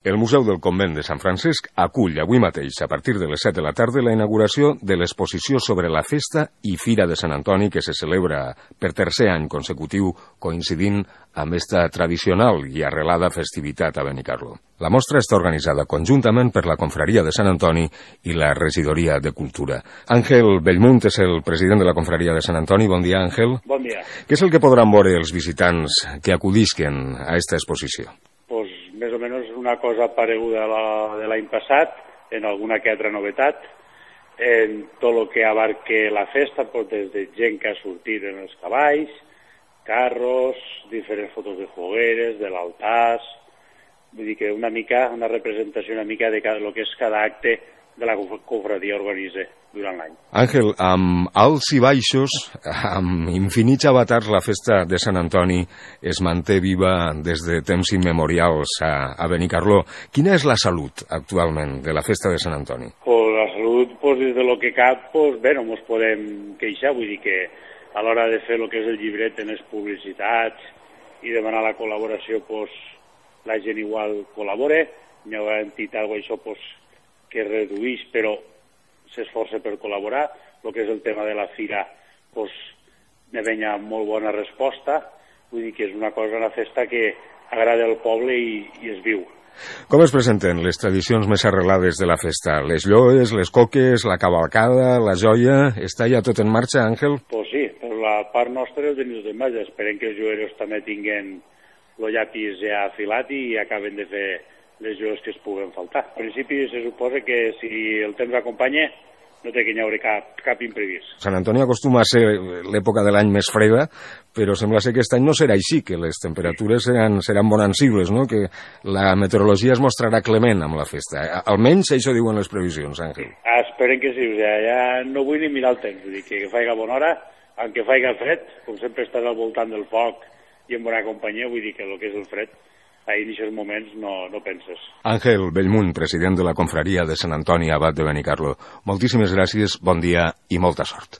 El Museu del Convent de Sant Francesc acull avui mateix, a partir de les 7 de la tarda, la inauguració de l'exposició sobre la festa i Fira de Sant Antoni que se celebra per tercer any consecutiu, coincidint amb esta tradicional i arrelada festivitat a Benicarló. La mostra està organitzada conjuntament per la Confraria de Sant Antoni i la Regidoria de Cultura. Àngel Bellmunt és el president de la Confraria de Sant Antoni. Bon dia, Àngel. Bon dia. Què és el que podran veure els visitants que acudisquen a esta exposició? Pues més o menys una cosa pareguda de l'any passat, en alguna que altra novetat, en tot el que abarque la festa, pues des de gent que ha sortit en els cavalls, carros, diferents fotos de fogueres, de l'altars, vull dir que una representació una mica de lo que és cada acte de la confraria organitza durant l'any. Àngel, amb alts i baixos, amb infinits avatars, la festa de Sant Antoni es manté viva des de temps immemorials a Benicarló. Quina és la salut actualment de la festa de Sant Antoni? Pues la salut, pues, des de lo que cap, pues, bé, no ens podem queixar, vull dir que a l'hora de fer el que és el llibret en les publicitats i demanar la col·laboració, pues, la gent igual col·labora, hi ha entitat o això, pues, que redueix, però s'esforça per col·laborar. El que és el tema de la fira, doncs, ne venia molt bona resposta. Vull dir que és una cosa, una festa que agrada al poble i es viu. Com es presenten les tradicions més arrelades de la festa? Les lloes, les coques, la cavalcada, la joia... Està ja tot en marxa, Àngel? Doncs sí, per la part nostra el tenim de maig. Esperem que els joieros també tinguin el llapis ja afilat i acaben de fer les joies que es puguen faltar. En principi se suposa que si el temps acompanya no té que hi haure cap imprevist. Sant Antoni acostuma a ser l'època de l'any més freda, però sembla ser que aquest any no serà així, que les temperatures seran bonancibles, no? Que la meteorologia es mostrarà clement amb la festa. Almenys això diuen les previsions, Àngel. Esperen que sí, o sigui, ja no vull ni mirar el temps, vull dir que faiga bona hora, aunque faiga fred, com sempre estàs al voltant del foc i en bona companyia, vull dir que el que és el fred ahir en aquests moments no penses. Àngel Bellmunt, president de la Confraria de Sant Antoni, abat de Benicarló. Moltíssimes gràcies, bon dia i molta sort.